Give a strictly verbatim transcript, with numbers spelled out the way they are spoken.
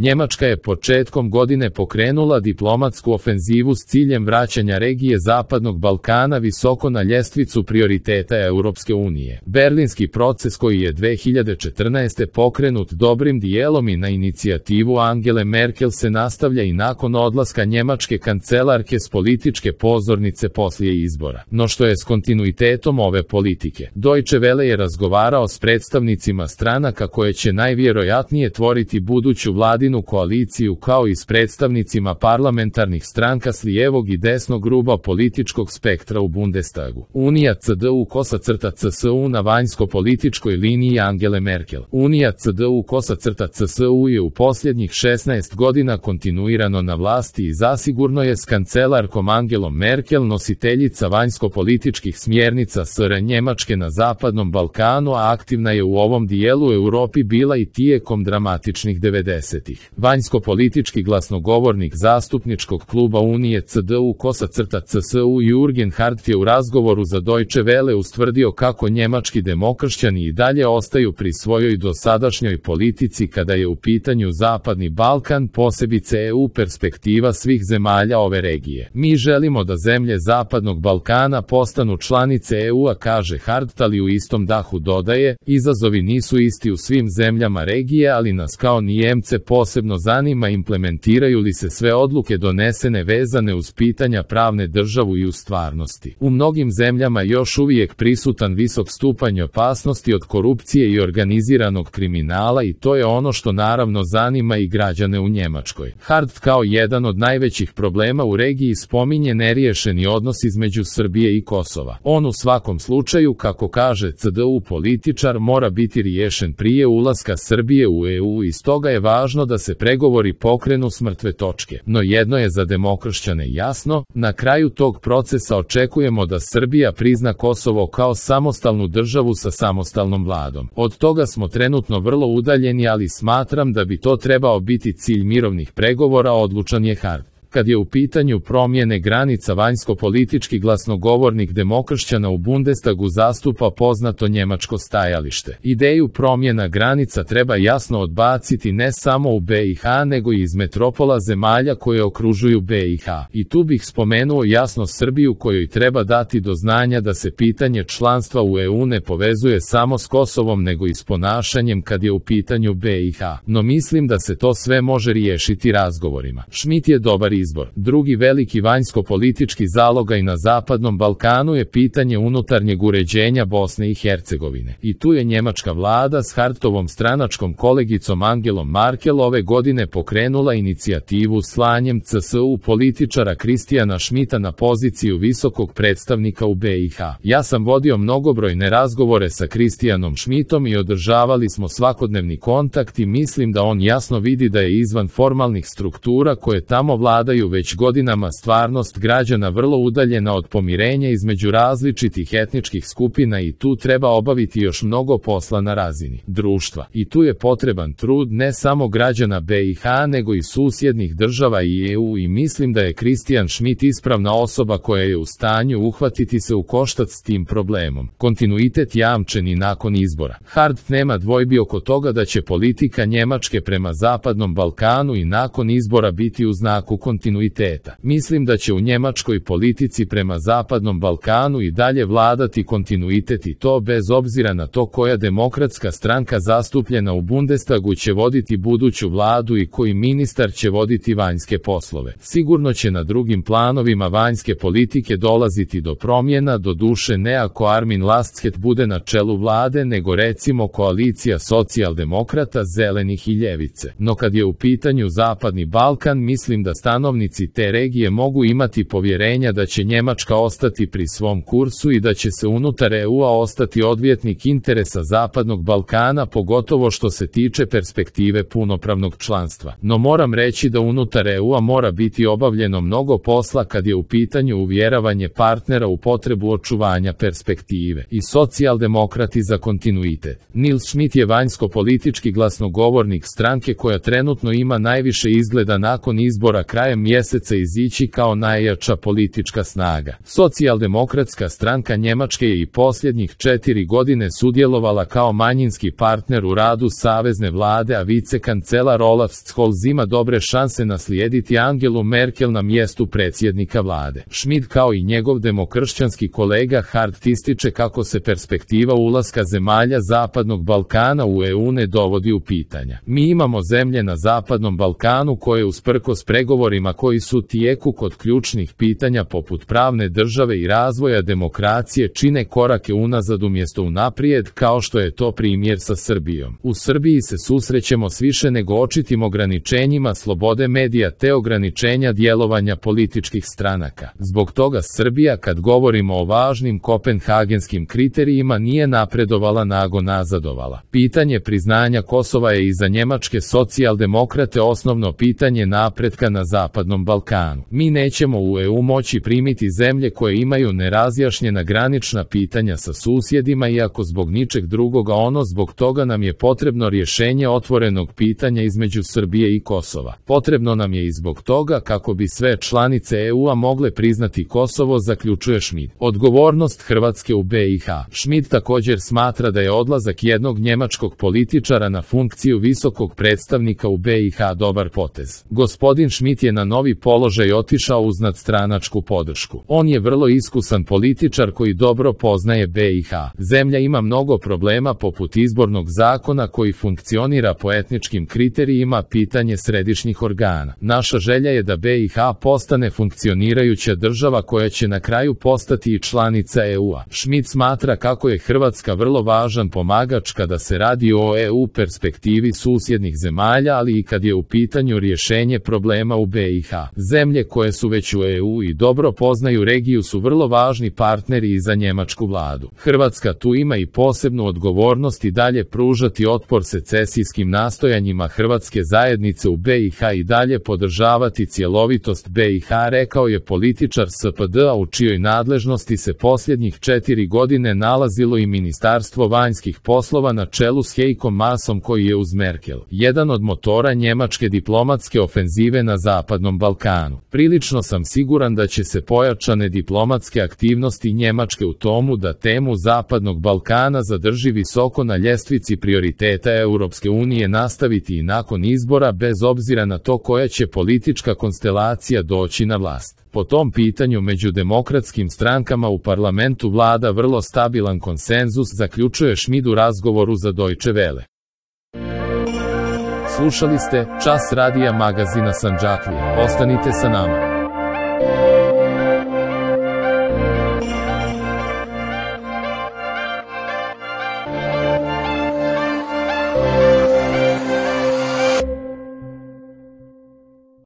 Njemačka je početkom godine pokrenula diplomatsku ofenzivu s ciljem vraćanja regije Zapadnog Balkana visoko na ljestvicu prioriteta Europske unije. Berlinski proces koji je dve hiljade četrnaeste. pokrenut dobrim dijelom i na inicijativu Angele Merkel se nastavlja i nakon odlaska njemačke kancelarke s političke pozornice poslije izbora. No što je s kontinuitetom ove politike? Deutsche Welle je razgovarao s predstavnicima stranaka koje će najvjerojatnije tvoriti buduću vladinu koaliciju kao i s predstavnicima parlamentarnih stranka s lijevog i desnog ruba političkog spektra u Bundestagu. Unija C D U kosa crta C S U na vanjsko-političkoj liniji Angele Merkel. Unija C D U kosa crta C S U je u posljednjih šesnaest godina kontinuirano na vlasti i zasigurno je s kancelarkom Angelom Merkel nositeljica vanjsko-političkih smjernica S R Njemačke na Zapadnom Balkanu, a aktivna je u ovom dijelu Europi bila i tijekom dramatičnih devedesetih. Vanjsko-politički glasnogovornik zastupničkog kluba Unije C D U kosa crta C S U Jürgen Hardt je u razgovoru za Deutsche Welle ustvrdio kako njemački demokršćani i dalje ostaju pri svojoj dosadašnjoj politici kada je u pitanju Zapadni Balkan, posebice E U perspektiva svih zemalja ove regije. Mi želimo da zemlje Zapadnog Balkana postanu članice E U-a, kaže Hardt, ali u istom dahu dodaje, izazovi nisu isti u svim zemljama regije, ali nas kao Nijemce posebno zanima implementiraju li se sve odluke donesene vezane uz pitanja pravne državu i u stvarnosti. U mnogim zemljama još uvijek prisutan visok stupanj opasnosti od korupcije i organiziranog kriminala i to je ono što naravno zanima i građane u Njemačkoj. Hardt kao jedan od najvećih problema u regiji spominje neriješeni odnos između Srbije i Kosova. On u svakom slučaju, kako kaže C D U političar, mora biti riješen prije ulaska Srbije u E U i stoga je važno da se pregovori pokrenu s mrtve točke. No jedno je za demokršćane jasno, na kraju tog procesa očekujemo da Srbija prizna Kosovo kao samostalnu državu sa samostalnom vladom. Od toga smo trenutno vrlo udaljeni, ali smatram da bi to trebao biti cilj mirovnih pregovora, odlučan je Hardt. Kad je u pitanju promjene granica, vanjsko-politički glasnogovornik demokršćana u Bundestagu zastupa poznato njemačko stajalište. Ideju promjena granica treba jasno odbaciti ne samo u B i H nego i iz metropola zemalja koje okružuju B i H. I tu bih spomenuo jasno Srbiju, kojoj treba dati do znanja da se pitanje članstva u E U ne povezuje samo s Kosovom nego i s ponašanjem kad je u pitanju B i H. No mislim da se to sve može riješiti razgovorima. Schmidt je dobar izbor. Drugi veliki vanjsko-politički zalogaj na Zapadnom Balkanu je pitanje unutarnjeg uređenja Bosne i Hercegovine. I tu je njemačka vlada s Hardtovom stranačkom kolegicom Angelom Merkel ove godine pokrenula inicijativu slanjem C S U političara Kristijana Schmidta na poziciju visokog predstavnika u B i H. Ja sam vodio mnogobrojne razgovore sa Kristijanom Schmidtom i održavali smo svakodnevni kontakt i mislim da on jasno vidi da je izvan formalnih struktura koje tamo vladaju već godinama stvarnost građana vrlo udaljena od pomirenja između različitih etničkih skupina i tu treba obaviti još mnogo posla na razini društva. I tu je potreban trud ne samo građana B i H nego i susjednih država i E U i mislim da je Kristijan Schmidt ispravna osoba koja je u stanju uhvatiti se u koštac s tim problemom. Kontinuitet jamčen i nakon izbora. Hardt nema dvojbi oko toga da će politika Njemačke prema Zapadnom Balkanu i nakon izbora biti u znaku kontinuiteta. Mislim da će u njemačkoj politici prema Zapadnom Balkanu i dalje vladati kontinuitet i to bez obzira na to koja demokratska stranka zastupljena u Bundestagu će voditi buduću vladu i koji ministar će voditi vanjske poslove. Sigurno će na drugim planovima vanjske politike dolaziti do promjena, do duše ne ako Armin Laschet bude na čelu vlade, nego recimo koalicija socijaldemokrata, zelenih i ljevice. No kad je u pitanju Zapadni Balkan, mislim da stanovnici te regije mogu imati povjerenja da će Njemačka ostati pri svom kursu i da će se unutar E U-a ostati odvjetnik interesa Zapadnog Balkana, pogotovo što se tiče perspektive punopravnog članstva. No moram reći da unutar E U-a mora biti obavljeno mnogo posla kad je u pitanju uvjeravanje partnera u potrebu očuvanja perspektive. I socijaldemokrati za kontinuitet. Nils Schmidt je vanjsko-politički glasnogovornik stranke koja trenutno ima najviše izgleda nakon izbora krajem tokom mjeseca izići kao najjača politička snaga. Socijaldemokratska stranka Njemačke je i posljednjih četiri godine sudjelovala kao manjinski partner u radu savezne vlade, a vicekancelar Olaf Scholz ima dobre šanse naslijediti Angelu Merkel na mjestu predsjednika vlade. Schmidt kao i njegov demokršćanski kolega Hart ističe kako se perspektiva ulaska zemalja Zapadnog Balkana u E U ne dovodi u pitanja. Mi imamo zemlje na Zapadnom Balkanu koje usprkos pregovorima koji su u tijeku kod ključnih pitanja poput pravne države i razvoja demokracije čine korake unazad umjesto unaprijed, kao što je to primjer sa Srbijom. U Srbiji se susrećemo s više nego očitim ograničenjima slobode medija te ograničenja djelovanja političkih stranaka. Zbog toga Srbija, kad govorimo o važnim kopenhagenskim kriterijima, nije napredovala nego nazadovala. Pitanje priznanja Kosova je i za njemačke socijaldemokrate osnovno pitanje napretka na Zapadnom Balkanu. Mi nećemo u E U moći primiti zemlje koje imaju nerazjašnjena granična pitanja sa susjedima, iako zbog ničeg drugoga ono zbog toga nam je potrebno rješenje otvorenog pitanja između Srbije i Kosova. Potrebno nam je i zbog toga kako bi sve članice E U-a mogle priznati Kosovo, zaključuje Schmidt. Odgovornost Hrvatske u B i H. Schmidt također smatra da je odlazak jednog njemačkog političara na funkciju visokog predstavnika u B i H dobar potez. Gospodin Schmidt je na novi položaj otišao uz nadstranačku podršku. On je vrlo iskusan političar koji dobro poznaje B i H. Zemlja ima mnogo problema poput izbornog zakona koji funkcionira po etničkim kriterijima, pitanje središnjih organa. Naša želja je da B i H postane funkcionirajuća država koja će na kraju postati i članica E U-a. Schmidt smatra kako je Hrvatska vrlo važan pomagač kada se radi o E U perspektivi susjednih zemalja, ali i kad je u pitanju rješenje problema u B i H. Zemlje koje su već u E U i dobro poznaju regiju su vrlo važni partneri i za njemačku vladu. Hrvatska tu ima i posebnu odgovornost i dalje pružati otpor secesijskim nastojanjima hrvatske zajednice u B i H i dalje podržavati cjelovitost B i H, rekao je političar S P D-a u čijoj nadležnosti se posljednjih četiri godine nalazilo i Ministarstvo vanjskih poslova na čelu s Heikom Maasom, koji je uz Merkel jedan od motora njemačke diplomatske ofenzive na Zapadnom Balkanu. Prilično sam siguran da će se pojačane diplomatske aktivnosti Njemačke u tomu da temu Zapadnog Balkana zadrži visoko na ljestvici prioriteta Europske unije nastaviti i nakon izbora, bez obzira na to koja će politička konstelacija doći na vlast. Po tom pitanju među demokratskim strankama u parlamentu vlada vrlo stabilan konsenzus, zaključuje Schmidt u razgovoru za Deutsche Welle. Slušali ste Čas radija magazina Sandžaklije. Ostanite sa nama.